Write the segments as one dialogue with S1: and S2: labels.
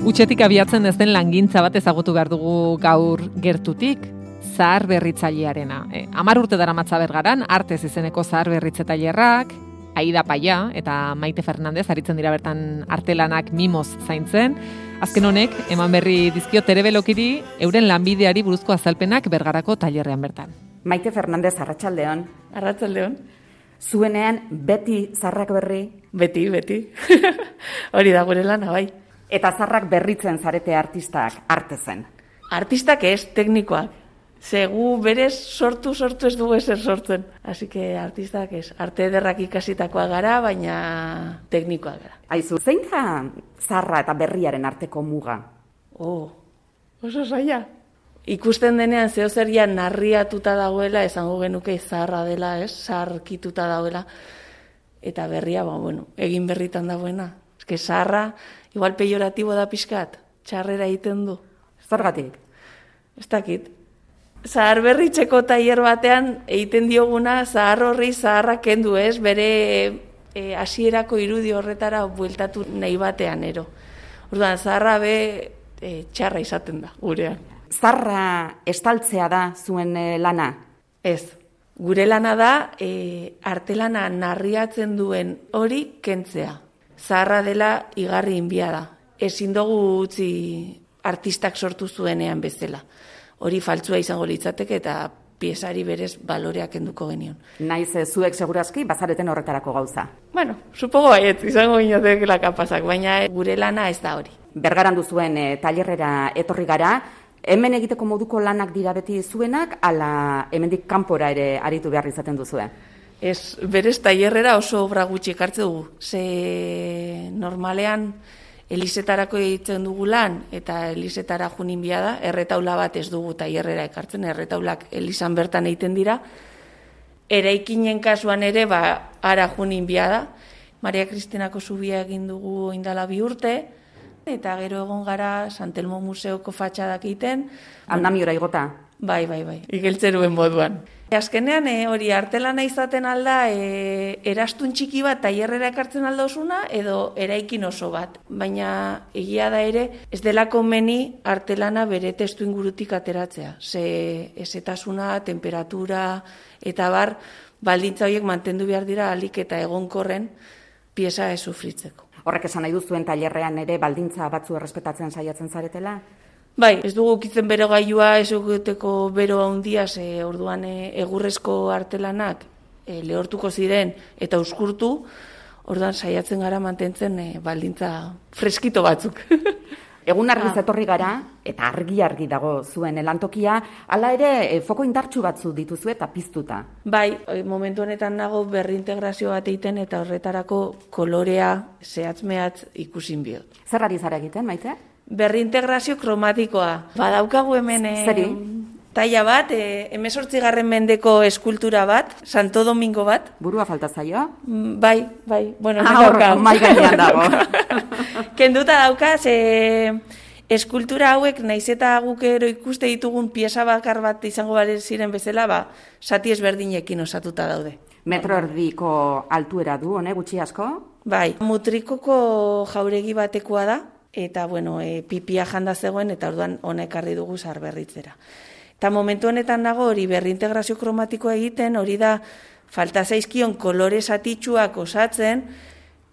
S1: Utxetik abiatzen ez den langintza bat ezagutu behar dugu gaur gertutik, zahar berritzailearena. 10 urte daramatza Bergaran, Artez izeneko zahar berritze tailerrak, Aida Paia eta Maite Fernandez aritzen dira bertan artelanak mimoz zaintzen. Azken honek, eman berri dizkio Terebelokiri euren lanbideari buruzko azalpenak Bergarako tailerrean bertan.
S2: Maite Fernandez, arratsaldeon.
S3: Arratsaldeon.
S2: Zuenean beti zarrak berri?
S3: Beti. Hori da gure lana, bai.
S2: Eta zarrak berritzen zarete artistak, Artezen?
S3: Artistak ez, teknikoak. Zegu berez sortu ez dugu ezer sortzen. Así que artistak ez. Arte ederrak ikasitakoa gara, baina teknikoak gara.
S2: Aizu, zein da zarra eta berriaren arteko muga?
S3: Oso zaila. Ikusten denean zehozeria narriatuta dagoela, esango genuke zaharra dela, ez? Zaharkituta dagoela. Eta berria, egin berritan dagoena. Eske zaharra, igual pejoratibo da pixkat, txarrera egiten du.
S2: Zergatik?
S3: Ez dakit. Zahar berritzeko tailer batean egiten dioguna zahar horri zaharra kendu, ez? Bere hasierako irudi horretara bueltatu nahi batean, ero. Orduan, zaharra txarra izaten da, gurean.
S2: Zarra estaltzea da zuen lana?
S3: Ez. Gure lana da artelana narriatzen duen hori kentzea. Zaharra dela igarri inbia da. Ezin dugu utzi artistak sortu zuenean bezala. Hori faltzua izango litzateke eta piezari berez baloreak kenduko genion.
S2: Naiz zuek segurazki bazareten horretarako gauza.
S3: Supongo baiet, izango ginotekela kapazak, baina gure lana ez da hori.
S2: Bergaran duzuen tailerrera etorri gara, hemen egiteko moduko lanak dira beti zuenak, ala hemendik kanpora ere aritu behar izaten duzue?
S3: Ez, berez tailerrera oso obra gutxi ekartze dugu. Ze normalean elizetarako egiten dugu lan, eta elizetara junin da, erretaula bat ez dugu tailerrera ekartzen, erretaulak elizan bertan egiten dira. Eraikinen kasuan ere, ara junin da. Maria Kristinako zubia egin dugu indala 2 urte, eta gero egon gara Santelmo Museoko fatxadak egiten.
S2: Andamiora igota?
S3: Bai, igeltzeruen moduan. Azkenean hori artelana izaten alda erastun txiki bat tailerrera ekartzen aldozuna edo eraikin oso bat. Baina egia da ere ez delako meni artelana bere testu ingurutik ateratzea. Ze ezetasuna, temperatura eta baldintza horiek mantendu behar dira ahalik eta egonkorren pieza ez sufritzeko.
S2: Horrek esan nahi duzuen tailerrean ere baldintza batzu errespetatzen saiatzen zaretela?
S3: Bai, ez dugu ukitzen bero gailua, ez egiteko bero handia, orduan egurrezko artelanak lehortuko ziren eta uskurtu, orduan saiatzen gara mantentzen baldintza freskito batzuk.
S2: Egun argiz etorri gara, eta argi dago zuen lantokia, hala ere foko indartsu batzu dituzu eta piztuta.
S3: Bai, momentu honetan nago berrintegrazio bat egiten eta horretarako kolorea zehatz-mehatz ikusin biot.
S2: Zer ari zara egiten, Maite?
S3: Berrintegrazio kromatikoa. Badaukagu hemen taila bat, 18. mendeko eskultura bat, Santo Domingo bat.
S2: Burua falta zaio?
S3: Bai.
S2: Mai gainean dago.
S3: Kenduta dauka, eskultura hauek, naiz eta gukero ikuste ditugun pieza bakar bat izango bale ziren bezala, zati ezberdinekin osatuta daude.
S2: 1,5 metro altuera du, gutxi asko?
S3: Bai, mutrikoko jauregi batekoa da, eta pipia janda zegoen, eta orduan hona ekarri dugu zahar berritzera. Eta momentu honetan nago hori berrintegrazio kromatikoa egiten, hori da falta zaizkion kolore zatitsuak osatzen,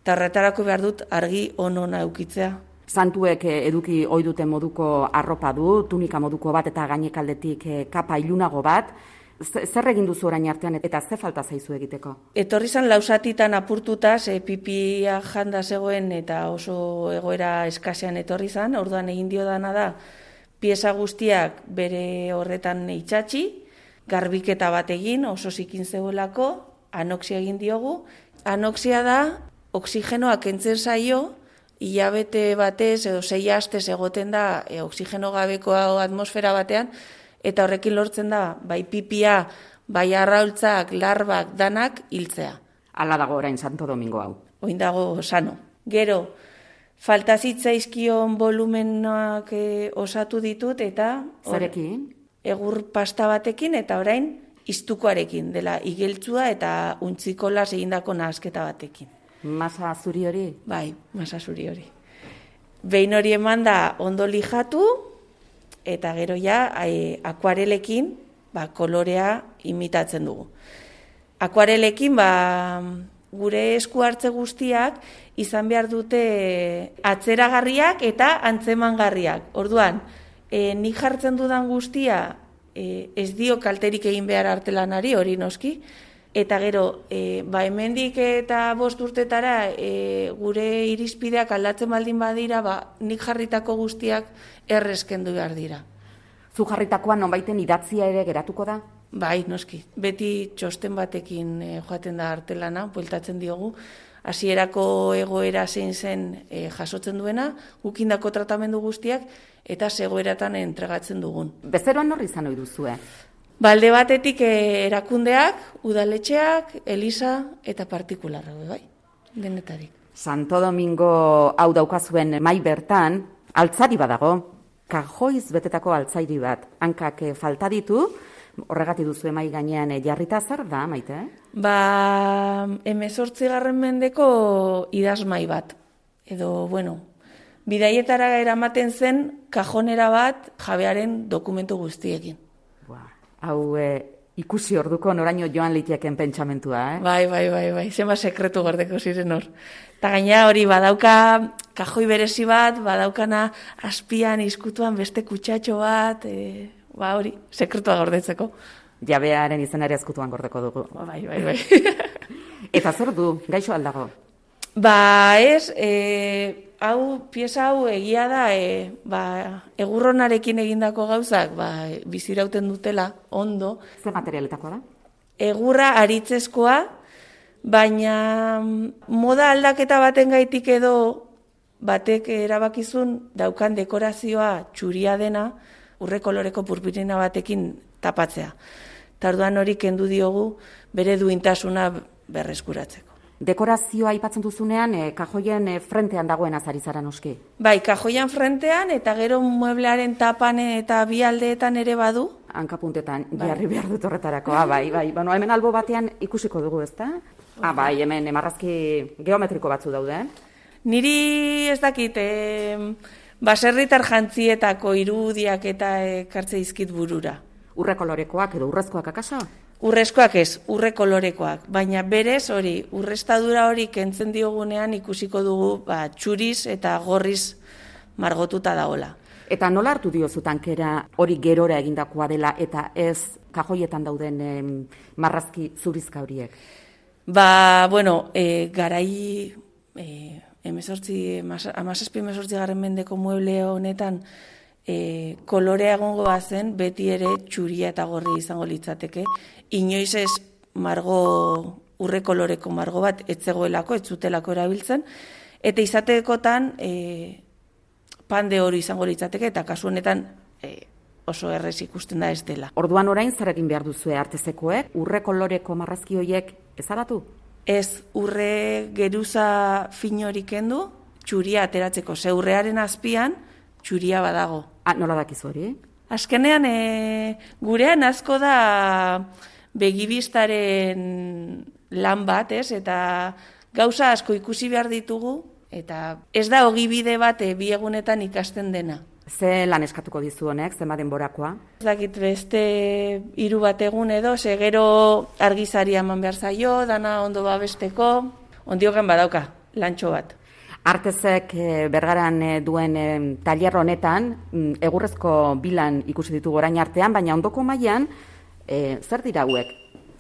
S3: eta horretarako behar dut argi ona eukitzea.
S2: Santuek eduki ohi duten moduko arropa du, tunika moduko bat eta gainekaldetik kapa ilunago bat. Zer egin duzu orain artean eta ze falta zaizu egiteko?
S3: Etorri zan lausatitan apurtuta, pipia janda zegoen eta oso egoera eskasean etorri zan, orduan egin dio dana da, pieza guztiak bere horretan itxatxi, garbiketa bat egin, oso zikin zegoelako, anoksia egin diogu. Anoksia da, oksigenoa kentzen zaio, hilabete batez edo 6 astez egoten da oksigeno gabeko atmosfera batean, eta horrekin lortzen da, bai pipia, bai arraultzak, larbak, danak hiltzea.
S2: Hala dago orain Santo Domingo hau.
S3: Oin dago sano. Gero, falta zitzaizkion volumenak osatu ditut, eta...
S2: Zarekin?
S3: Egur pasta batekin, eta orain iztukoarekin, dela igeltzua eta untzikolas egindako nahasketa batekin.
S2: Masa zuri hori?
S3: Bai, masa zuri hori. Behin hori eman da ondo lijatu, eta gero ja akuarelekin kolorea imitatzen dugu. Akuarelekin gure esku hartze guztiak izan behar dute atzeragarriak eta antzemangarriak. Orduan, nik jartzen dudan guztia ez dio kalterik egin behar artelanari, hori noski, eta gero, hemendik eta 5 urtetara gure irizpideak aldatzen baldin badira, nik jarritako guztiak errezkendu behar dira.
S2: Zu jarritakoan nonbaiten idatzia ere geratuko da?
S3: Bai, noski. Beti txosten batekin joaten da artelana, bueltatzen diogu. Hasierako egoera zein zen jasotzen duena, gukindako tratamendu guztiak, eta zegoeratan entregatzen dugun.
S2: Bezeroan norri izan ohi duzue?
S3: Alde batetik erakundeak, udaletxeak, eliza eta partikularra, bai, denetarik.
S2: Santo Domingo hau daukazuen mai bertan, altzari badago, kajoiz betetako altzairi bat. Hankak falta ditu, horregatik duzu mai gainean jarrita, zer da, Maite?
S3: 18. mendeko idazmai bat. Edo, bidaietara eramaten zen kajonera bat jabearen dokumentu guztiekin.
S2: Hau ikusi orduko noraino joan litieken pentsamentua,
S3: Bai, zema sekretu gordeko ziren hor. Eta gaina hori badauka kajoi berezi bat, badaukana azpian izkutuan beste kutsatxo bat, hori, sekretua gordetzeko.
S2: Jabearen izenari ezkutuan gordeko dugu.
S3: Bai.
S2: Eta zer du, gaixo aldago?
S3: Pieza hau egia da, egurronarekin egindako gauzak, bizirauten dutela, ondo.
S2: Ze materialetakoa da?
S3: Egurra aritzezkoa, baina moda aldaketa baten gaitik edo batek erabakizun daukan dekorazioa txuria dena, urre koloreko purpurina batekin tapatzea. Tarduan hori kendu diogu bere duintasuna berreskuratzeko.
S2: Dekorazioa aipatzen duzunean, kajoien frentean dagoen azarizara noski?
S3: Bai, kajoian frentean eta gero mueblearen tapan eta bi aldeetan ere badu.
S2: Hankapuntetan, jarri behar dut horretarako. Bai. Hemen albo batean ikusiko dugu, ezta? Bai, hemen marrazki geometriko batzu daude.
S3: Niri ez dakit, baserritar jantzietako irudiak eta ekartze dizkit burura.
S2: Urre kolorekoak edo urrezkoak akaso?
S3: Urrezkoak ez, urre kolorekoak, baina berez hori, urrestadura hori kentzen diogunean ikusiko dugu txuriz eta gorriz margotuta dagoela.
S2: Eta nola hartu diozu tankera hori gerora egindakoa dela eta ez kajoietan dauden marrazki zurizka horiek?
S3: Garai 17 mendeko mueble honetan kolorea egongo bazen, beti ere txuria eta gorri izango litzateke. Inoiz ez urre koloreko margo bat etzegoelako, etzutelako erabiltzen, eta izatekotan pande hori izango litzateke, eta kasu honetan oso errez ikusten da ez dela.
S2: Orduan orain zer egin behar duzue artezekoek? Urre koloreko marrazki horiek ezabatu?
S3: Ez, urre geruza fin hori kendu, txuria ateratzeko. Ze urrearen azpian, txuria badago.
S2: Nola dakizu hori?
S3: Azkenean, gurean asko da begibistaren lan bat, eta gauza asko ikusi behar ditugu, eta ez da ogibide bat bi egunetan ikasten dena.
S2: Ze lan eskatuko dizu honek, zema denborakoa?
S3: Ez dakit beste 3 bat egun edo, gero argizaria eman behar zaio, dana ondo babesteko, ondioken badauka, lantxo bat.
S2: Artezek Bergaran duen tailer honetan, egurrezko bilan ikusi ditugu orain artean, baina ondoko mailan zer dira hauek?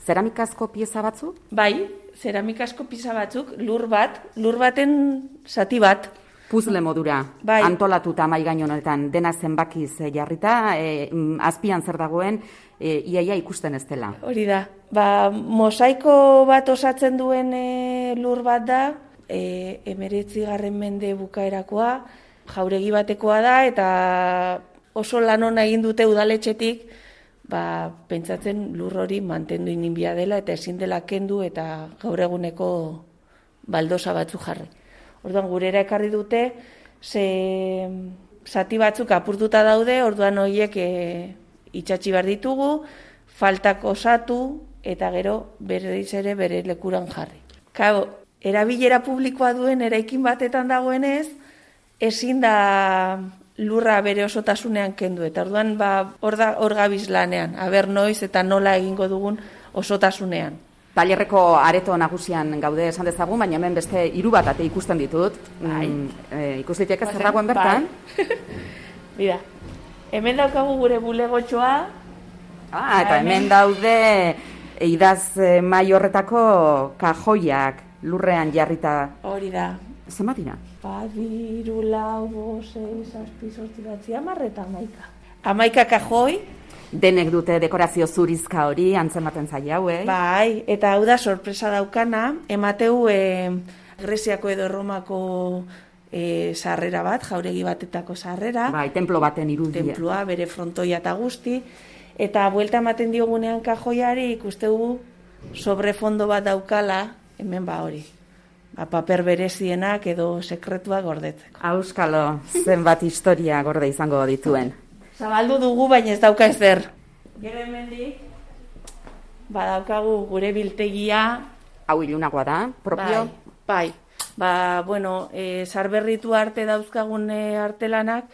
S2: Zeramikazko pieza batzu?
S3: Bai, zeramikazko pieza batzuk, lur baten zati bat.
S2: Puzle modura, bai. Antolatuta mai gain honetan, dena zenbakiz jarrita, azpian zer dagoen, iaia ikusten ez dela.
S3: Hori da, mosaiko bat osatzen duen lur bat da, 19. mende bukaerakoa, jauregi batekoa da, eta oso lan ona egin dute udaletxetik, pentsatzen lur hori mantendu inbia dela, eta ezin dela kendu, eta gaur eguneko baldosa batzu jarri. Orduan gurera ekarri dute, zati batzuk apurtuta daude, orduan horiek itxatxi behar ditugu, faltak osatu, eta gero berriz ere bere lekuran jarri. Erabilera publikoa duen eraikin batetan dagoenez, ezin da lurra bere osotasunean kendu, eta orduan hor gabiz lanean, aber noiz eta nola egingo dugun osotasunean.
S2: Tailerreko areto nagusian gaude esan dezagun, baina hemen beste 3 bat ate ikusten ditut. Ikus liteke zer dagoen bertan.
S3: Mira, hemen daukagu gure bulegotxoa.
S2: Eta hemen daude idaz mai horretako kajoiak lurrean jarrita.
S3: Hori da.
S2: Zenbat dira?
S3: 2, 4, 5, 6, 7, 8, 9, 10 eta 11. 11 kajoi.
S2: Denek dute dekorazio zurizka hori, antzematen zaila hauei.
S3: Bai, eta hau da sorpresa daukana, emateu Greziako edo Erromako sarrera bat, jauregi batetako sarrera.
S2: Bai, templo baten irudia.
S3: Tenplua, bere frontoia eta guzti. Eta buelta ematen diogunean kajoiari ikustegu sobrefondo bat daukala, hemen hori. Paper berezienak edo sekretuak gordetzeko.
S2: Auskalo, zenbat historia gorde izango dituen.
S3: Zabaldu dugu, baina ez dauka ezer. Gero hemendik, badaukagu gure biltegia.
S2: Hau ilunagoa da, propio?
S3: Bai. Sarberritu arte dauzkagun artelanak,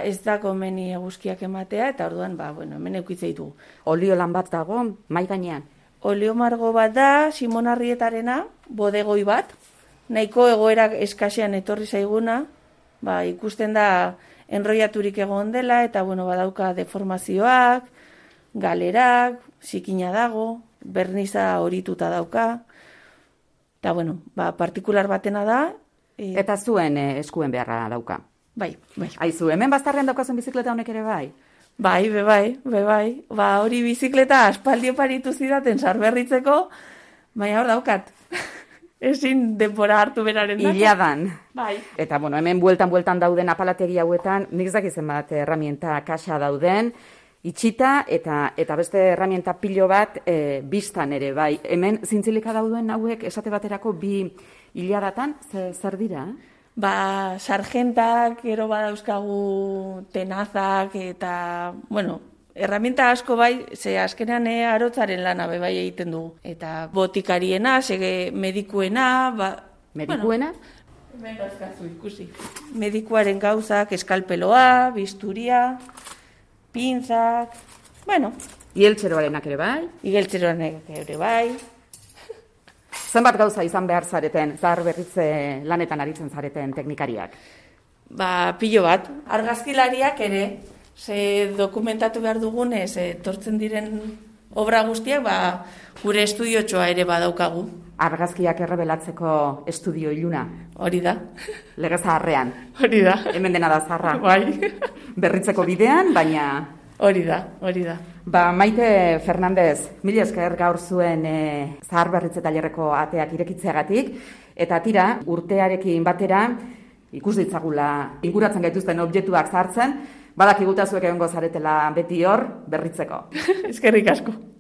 S3: ez da komeni eguzkiak ematea, eta orduan, hemen eukitzei du.
S2: Olio lan bat dago, mai gainean?
S3: Olio margo bat da, Simon Arrietarena, bodegoi bat, nahiko egoera eskasean etorri zaiguna, ikusten da enroiaturik egon dela, eta badauka deformazioak, galerak, zikina dago, berniza horituta dauka, eta partikular batena da.
S2: Eta zuen eskuen beharra dauka?
S3: Bai.
S2: Aizu, hemen baztarrean daukazen bizikleta honek ere bai?
S3: Bai. Hori bizikleta aspaldi oparitu zidaten sarberritzeko, baina hor daukat. Ezin denbora hartu beraren dako.
S2: Iladan.
S3: Bai.
S2: Eta, hemen bueltan dauden apalategi hauetan, nik zakizen bat herramienta kaxa dauden, itxita eta beste herramienta pilo bat biztan ere, bai. Hemen zintzilika dauduen hauek esate baterako 2 iladatan, zer dira?
S3: Sargentak, gero badauzkagu tenazak, eta, herramienta asko bai, ze azkenean arotzaren lana bai egiten dugu. Eta botikariena, medikuena,
S2: Medikuena?
S3: Hemen dauzkazu ikusi. Medikuaren gauzak, eskalpeloa, bisturia, pinzak,
S2: Igeltxeroarenak ere bai?
S3: Igeltxeroarenak ere bai.
S2: Zenbat gauza izan behar zareten, zahar berritze lanetan aritzen zareten teknikariak?
S3: Pilo bat. Argazkilariak ere, ze dokumentatu behar dugunez, tortzen diren obra guztiak, gure estudiotxoa ere badaukagu.
S2: Argazkiak errebelatzeko estudio iluna?
S3: Hori da.
S2: Lege zaharrean?
S3: Hori da.
S2: Hemen dena da zaharra?
S3: Bai.
S2: Berritzeko bidean, baina...
S3: Hori da.
S2: Maite Fernandez, mila esker gaur zuen zahar berritze tailerreko ateak irekitzeagatik, eta tira, urtearekin batera, ikus ditzagula inguratzen gaituzten objektuak sartzen, badakiguta zuek egongo zaretela beti hor berritzeko.
S3: Eskerrik asko.